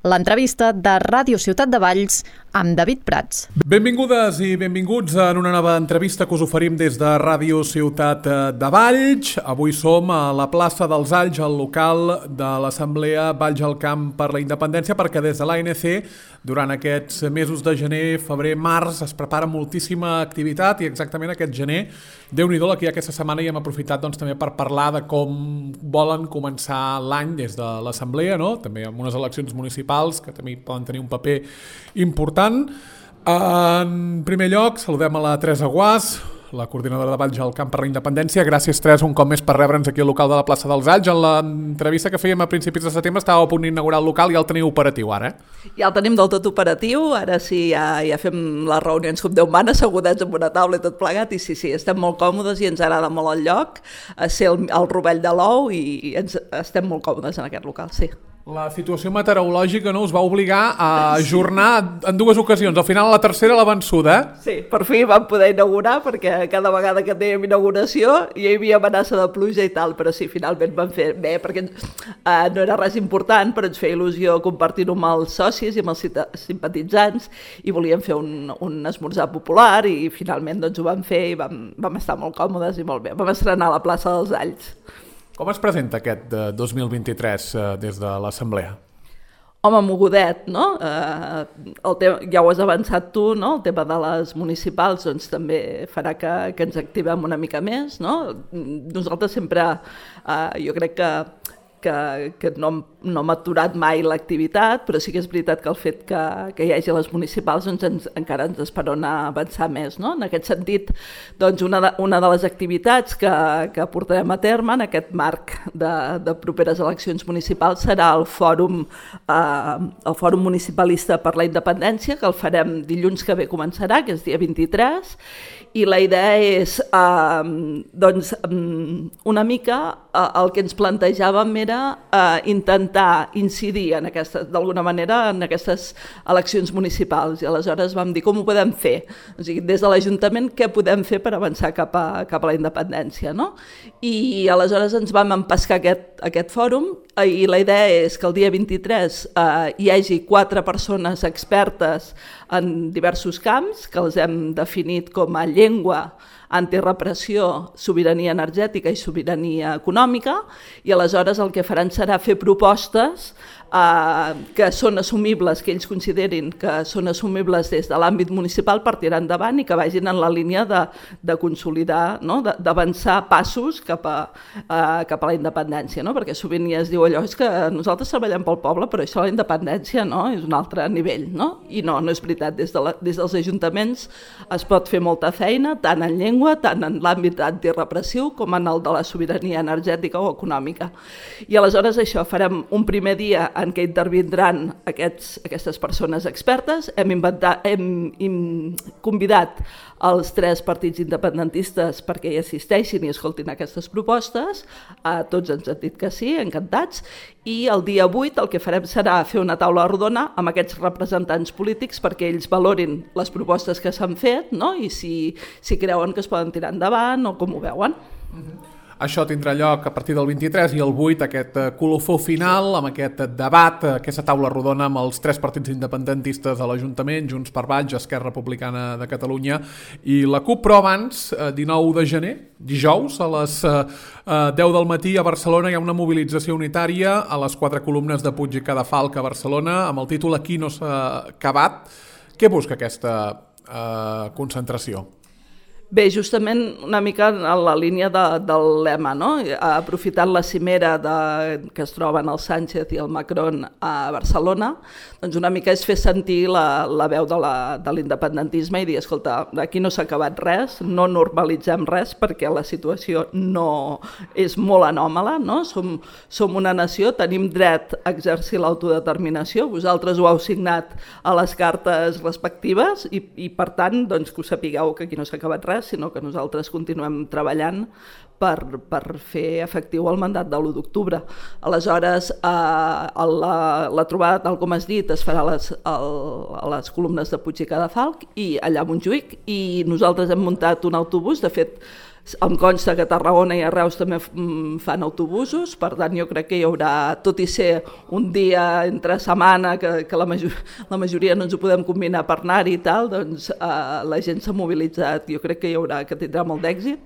l'entrevista de Ràdio Ciutat de Valls amb David Prats. Benvingudes i benvinguts en una nova entrevista que us oferim des de Ràdio Ciutat de Valls. Avui som a la plaça dels Alls, al local de l'Assemblea Valls al Camp per la Independència, perquè des de l'ANC, durant aquests mesos de gener, febrer, març, es prepara moltíssima activitat i exactament aquest gener, Déu-n'hi-do la que hi ha aquesta setmana, i hem aprofitat també per parlar de com volen començar l'any des de l'Assemblea, no? També amb unes eleccions municipals que també poden tenir un paper important. En primer lloc, saludem a la Teresa Guàs, la coordinadora de Valls al Camp per la Independència. Gràcies, Teresa, un cop més per rebre'ns aquí al local de la plaça dels Alls. En l'entrevista que fèiem a principis de setembre estava a punt d'inaugurar el local i ja el teniu operatiu ara, eh? Ja el tenim del tot operatiu, ara sí, ja fem les reunions com Déu mana, assegudats amb una taula i tot plegat, i sí, estem molt còmodes i ens agrada molt el lloc, ser el rovell de l'ou, i estem molt còmodes en aquest local, sí. La situació meteorològica us va obligar a ajornar en dues ocasions. Al final, la tercera, la vençuda, eh? Sí, per fi vam poder inaugurar, perquè cada vegada que teníem inauguració hi havia amenaça de pluja i tal, però sí, finalment vam fer bé, perquè no era res important, però ens feia il·lusió compartir-ho amb els socis i amb els simpatitzants, i volíem fer un esmorzar popular, i finalment doncs ho vam fer i vam estar molt còmodes i molt bé. Vam estrenar a la plaça dels Alls. Com es presenta aquest 2023 des de l'Assemblea? Home, mogudet, no? Ja ho has avançat tu, no? El tema de les municipals doncs, també farà que ens activem una mica més, no? Nosaltres sempre, jo crec que no hem aturat mai l'activitat, però sí que és veritat que el fet que hi hagi les municipals doncs encara ens esperona avançar més, no? En aquest sentit, doncs una de les activitats que portarem a terme en aquest marc de properes eleccions municipals serà el Fòrum Municipalista per la Independència, que el farem dilluns que ve començarà, que és dia 23, i la idea és doncs, una mica el que ens plantejàvem era intentar incidir d'alguna manera en aquestes eleccions municipals, i aleshores vam dir com ho podem fer, o sigui, des de l'Ajuntament què podem fer per avançar cap a la independència, no? I aleshores ens vam empescar aquest fòrum, i la idea és que el dia 23 hi hagi 4 persones expertes en diversos camps, que els hem definit com a llengua, antirepressió, sobirania energètica i sobirania econòmica, i aleshores el que faran serà fer propostes que són assumibles, que ells considerin que són assumibles des de l'àmbit municipal per tirar endavant i que vagin en la línia de consolidar, no? D'avançar passos cap a la independència, no? Perquè sovint ja es diu allò, és que nosaltres treballem pel poble, però això la independència, no? És un altre nivell, no? I no és veritat, des dels ajuntaments es pot fer molta feina, tant en llengua, tant en l'àmbit antirepressiu com en el de la sobirania energètica o econòmica. I aleshores això, farem un primer dia en què intervindran aquestes persones expertes. Hem convidat els 3 partits independentistes perquè hi assisteixin i escoltin aquestes propostes. Tots ens han dit que sí, encantats. I el dia 8 el que farem serà fer una taula rodona amb aquests representants polítics perquè ells valorin les propostes que s'han fet, no? I si creuen que es poden tirar endavant o com ho veuen. Això tindrà lloc a partir del 23 i el 8, aquest colofó final, amb aquest debat, aquesta taula rodona amb els 3 partits independentistes a l'Ajuntament, Junts per Valls, Esquerra Republicana de Catalunya i la CUP. Però abans, 19 de gener, dijous, a les 10 del matí a Barcelona hi ha una mobilització unitària a les 4 columnes de Puig i Cadafalch a Barcelona amb el títol Aquí no s'ha acabat. Què busca aquesta concentració? Bé, justament una mica en la línia del lema, no? Aprofitant la cimera que es troben el Sánchez i el Macron a Barcelona, doncs una mica és fer sentir la veu de l'independentisme i dir, escolta, aquí no s'ha acabat res, no normalitzem res perquè la situació no és molt anòmala, no? Som una nació, tenim dret a exercir l'autodeterminació, vosaltres ho heu signat a les cartes respectives i per tant, doncs, que ho sapigueu que aquí no s'ha acabat res, sinó que nosaltres continuem treballant per fer efectiu el mandat de l'1 d'octubre. Aleshores, la trobada, tal com has dit, es farà a les columnes de Puig i Cadafalch i allà a Montjuïc, i nosaltres hem muntat un autobús, de fet, Em consta que a Tarragona i a Reus també fan autobusos, per tant jo crec que hi haurà, tot i ser un dia entre setmana que la majoria no ens ho podem combinar per anar-hi i tal, doncs la gent s'ha mobilitzat, jo crec que tindrà molt d'èxit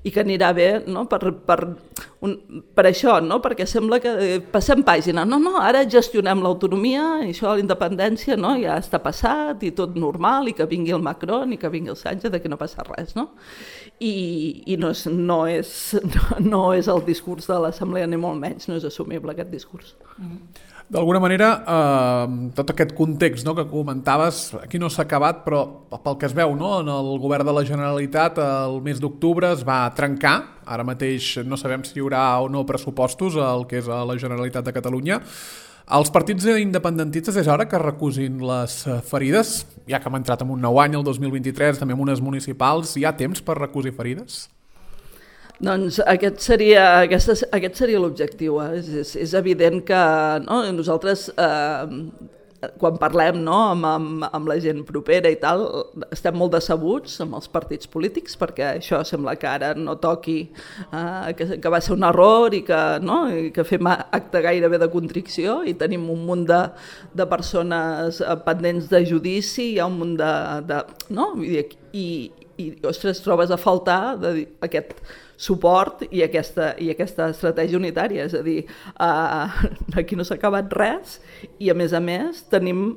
i que anirà bé, no? Per això, no? Perquè sembla que passem pàgina, no, ara gestionem l'autonomia i això de la independència, no? Ja està passat i tot normal i que vingui el Macron i que vingui el Sánchez, que no passa res, no? I no és el discurs de l'Assemblea ni molt menys, no és assumible aquest discurs. D'alguna manera, tot aquest context, no, que comentaves, aquí no s'ha acabat, però pel que es veu, no, en el govern de la Generalitat el mes d'octubre es va trencar, ara mateix no sabem si hi haurà o no pressupostos al que és a la Generalitat de Catalunya. Els partits independentistes és hora que recusin les ferides, ja que hem entrat en un nou any, el 2023, també en unes municipals, hi ha temps per recosir ferides? Doncs aquest seria l'objectiu. És evident que nosaltres, quan parlem amb la gent propera i tal, estem molt decebuts amb els partits polítics perquè això sembla que ara no toqui, que va ser un error i que fem acte gairebé de contricció i tenim un munt de persones pendents de judici, hi ha un munt i ostres, trobes a faltar aquest suport i aquesta estratègia unitària, és a dir, aquí no s'ha acabat res i a més tenim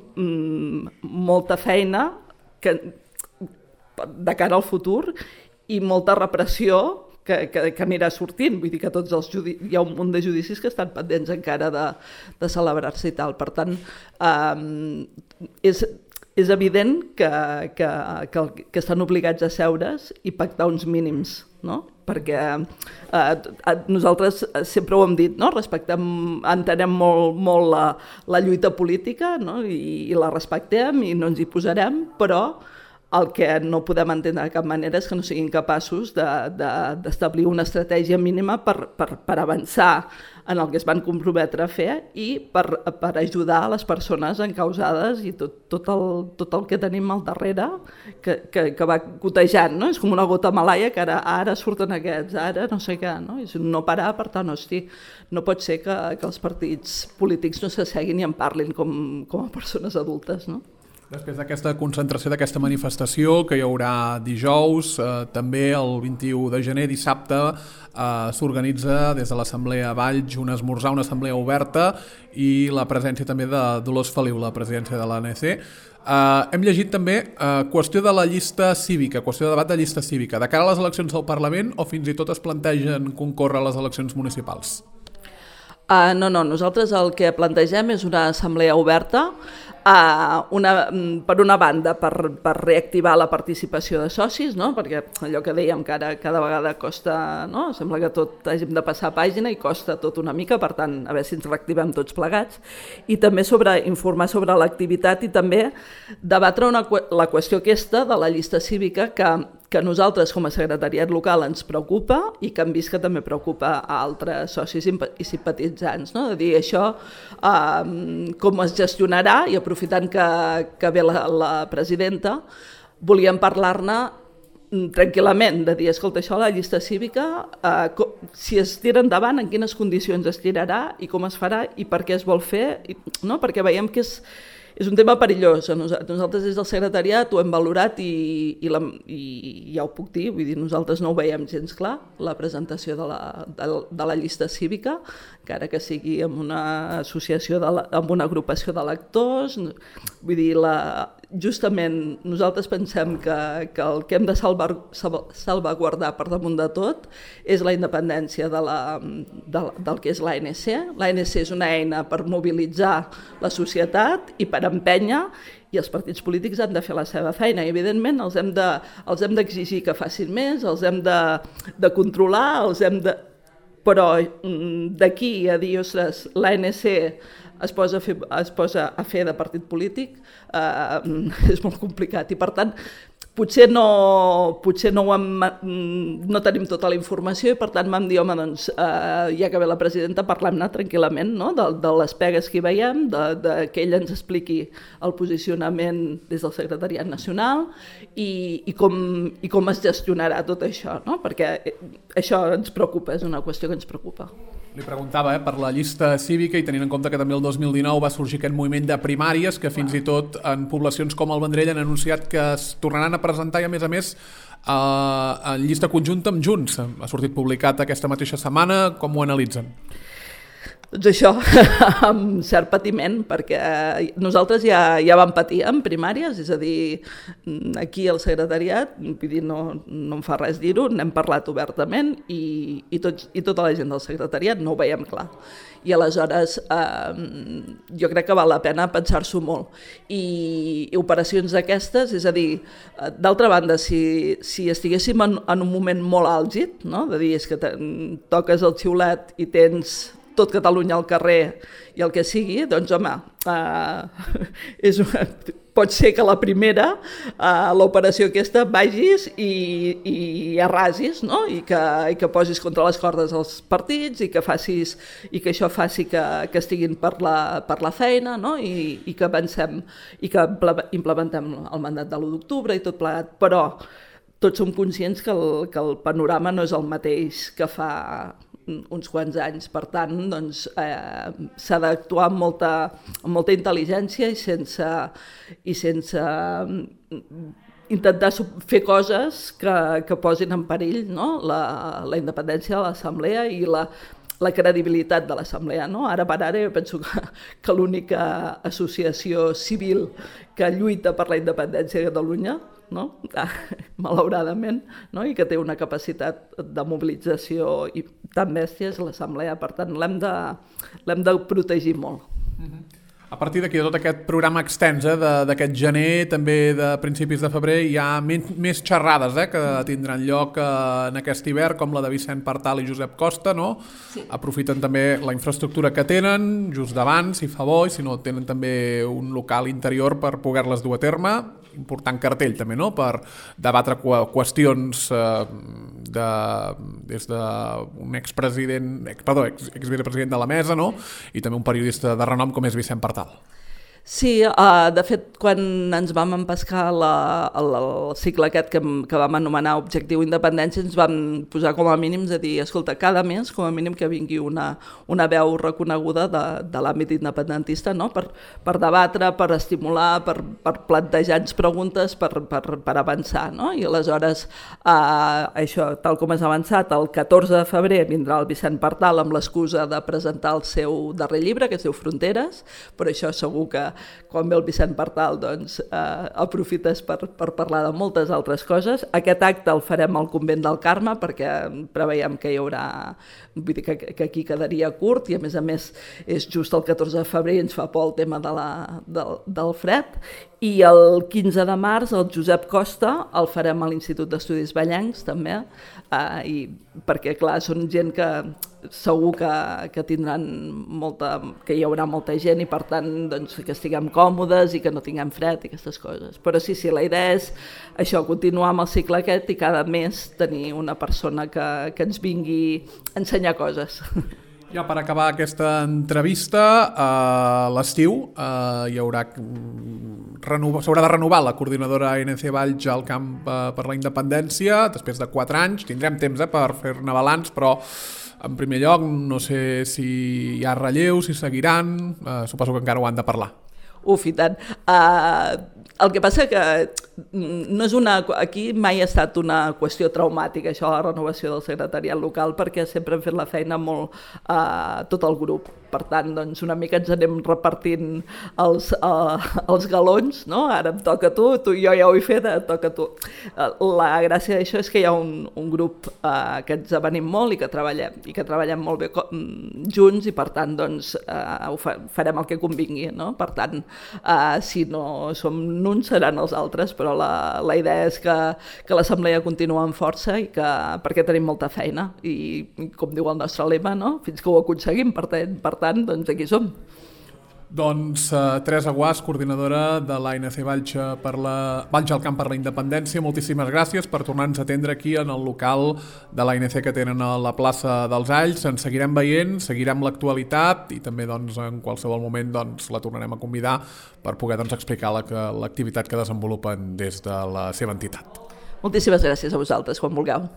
molta feina de cara al futur i molta repressió que anirà sortint, vull dir que hi ha un munt de judicis que estan pendents encara de celebrar-se i tal, per tant és evident que estan obligats a seure's i pactar uns mínims, no? Perquè nosaltres sempre ho hem dit, no? Entenem molt la lluita política, no? I la respectem i no ens hi posarem, però el que no podem entendre de cap manera és que no siguin capaços d'establir una estratègia mínima per avançar en el que es van comprometre a fer i per ajudar a les persones encausades i tot el que tenim al darrere que va gotejant, no? És com una gota malaia que ara surten aquests, ara no sé què, no? És no parar, per tant, hosti, no pot ser que els partits polítics no s'asseguin i en parlin com a persones adultes, no? Després d'aquesta concentració, d'aquesta manifestació que hi haurà dijous, també el 21 de gener, dissabte, s'organitza des de l'Assemblea Valls un esmorzar, una assemblea oberta i la presència també de Dolors Feliu, la presidència de l'ANC. Hem llegit també qüestió de la llista cívica, qüestió de debat de llista cívica. De cara a les eleccions del Parlament o fins i tot es plantegen concórrer a les eleccions municipals? No, nosaltres el que plantegem és una assemblea oberta, per una banda per reactivar la participació de socis, no? Perquè allò que dèiem que ara cada vegada costa, no? Sembla que tot hàgim de passar pàgina i costa tot una mica, per tant a veure si ens reactivem tots plegats, i també informar sobre l'activitat i també debatre la qüestió aquesta de la llista cívica que nosaltres com a secretariat local ens preocupa i que hem vist que també preocupa a altres socis i simpatitzants, no? De dir això com es gestionarà, i aprofitant que ve la presidenta, volíem parlar-ne tranquil·lament, de dir, escolta, això la llista cívica, si es tira endavant, en quines condicions es tirarà i com es farà i per què es vol fer, no? Perquè veiem que és un tema perillós. Nosaltres des del secretariat ho hem valorat i ja ho puc dir, vull dir, nosaltres no ho veiem gens clar, la presentació de la llista cívica, encara que sigui amb una associació, amb una agrupació de lectors. Vull dir, justament nosaltres pensem que el que hem de salvaguardar per damunt de tot és la independència del que és l'ANC. L'ANC és una eina per mobilitzar la societat i per empènyer, i els partits polítics han de fer la seva feina. I, evidentment, els hem d'exigir que facin més, els hem de controlar, però d'aquí a dir, ostres, l'ANC es posa a fer de partit polític és molt complicat. I, per tant, potser no tenim tota la informació i per tant vam dir, home, doncs, ja que ve la presidenta, parlem-ne tranquil·lament, no? de les pegues que hi veiem, que ella ens expliqui el posicionament des del Secretariat Nacional i com es gestionarà tot això, no? Perquè això ens preocupa, és una qüestió que ens preocupa. Li preguntava per la llista cívica i tenint en compte que també el 2019 va sorgir aquest moviment de primàries que fins i tot en poblacions com el Vendrell han anunciat que es tornaran a presentar i a més en llista conjunta amb Junts. Ha sortit publicat aquesta mateixa setmana, com ho analitzen? Doncs això, amb cert patiment, perquè nosaltres ja vam patir en primàries, és a dir, aquí al secretariat, vull dir, no em fa res dir-ho, n'hem parlat obertament i tota la gent del secretariat no ho veiem clar. I aleshores jo crec que val la pena pensar-s'ho molt. I operacions d'aquestes, és a dir, d'altra banda, si estiguéssim en un moment molt àlgid, no? De dir, és que toques el xiulet i tens tot Catalunya al carrer i el que sigui, doncs home, pot ser que la primera, l'operació aquesta, vagis i arrasis, no? I que posis contra les cordes els partits i que això faci que estiguin per la feina, no? I que avancem i que implementem el mandat de l'1 d'octubre i tot plegat, però tots som conscients que el panorama no és el mateix que fa uns quants anys, per tant, doncs, s'ha d'actuar amb molta intel·ligència i sense intentar fer coses que posin en perill, no? la independència de l'Assemblea i la credibilitat de l'Assemblea. No? Ara per ara jo penso que l'única associació civil que lluita per la independència de Catalunya, no? Malauradament, no? I que té una capacitat de mobilització tan bèstia és l'Assemblea, per tant l'hem de protegir molt. A partir d'aquí, de tot aquest programa extens d'aquest gener, també de principis de febrer, hi ha més xerrades que tindran lloc en aquest hivern, com la de Vicent Partal i Josep Costa, no? Sí. Aprofiten també la infraestructura que tenen, just davant, si fa bo, i si no, tenen també un local interior per poder-les dur a terme. Important cartell també, no?, per debatre qüestions des d'un exvicepresident de la mesa, no?, i també un periodista de renom com és Vicent Partal. Sí, de fet, quan ens vam empescar el cicle aquest que vam anomenar Objectiu Independència, ens vam posar com a mínims a dir, escolta, cada mes com a mínim que vingui una veu reconeguda de l'àmbit independentista, no? Per debatre, per estimular, per plantejar-nos preguntes, per avançar, no? I aleshores, això, tal com has avançat, el 14 de febrer vindrà el Vicent Partal amb l'excusa de presentar el seu darrer llibre, que es diu Fronteres, però això segur que quan ve el Vicent Partal doncs, aprofites per parlar de moltes altres coses. Aquest acte el farem al Convent del Carme perquè preveiem que hi haurà, vull dir que aquí quedaria curt i a més és just el 14 de febrer i ens fa por el tema del fred. I el 15 de març el Josep Costa el farem a l'Institut d'Estudis Vallencs també, perquè clar, són gent que segur que tindran que hi haurà molta gent i per tant doncs, que estiguem còmodes i que no tinguem fred i aquestes coses. Però sí, la idea és això, continuar amb el cicle aquest i cada mes tenir una persona que ens vingui a ensenyar coses. Ja per acabar aquesta entrevista, a l'estiu s'haurà de renovar la coordinadora ANC Valls al camp per la independència, després de 4 anys. Tindrem temps per fer-ne balanç, però en primer lloc no sé si hi ha relleu, si seguiran, suposo que encara ho han de parlar. I tant. El que passa que aquí mai ha estat una qüestió traumàtica, això, la renovació del secretariat local, perquè sempre hem fet la feina molt tot el grup. Per tant, doncs, una mica ens anem repartint els galons, no? Ara em toca a tu, jo ja ho he fet, et toca a tu. La gràcia d'això és que hi ha un grup que ens avenim molt i que treballem molt bé junts i per tant doncs, farem el que convingui, no? Per tant, si no som uns seran els altres, però la idea és que l'assemblea continua amb força i perquè tenim molta feina i com diu el nostre lema, no? Fins que ho aconseguim, per tant, doncs aquí som. Doncs Teresa Guàs, coordinadora de l'ANC Valls al Camp per la Independència, moltíssimes gràcies per tornar-nos a atendre aquí en el local de l'ANC que tenen a la plaça dels Alls. Ens seguirem veient, seguirem l'actualitat i també doncs, en qualsevol moment doncs, la tornarem a convidar per poder doncs, explicar l'activitat que desenvolupen des de la seva entitat. Moltíssimes gràcies a vosaltres, quan vulgueu.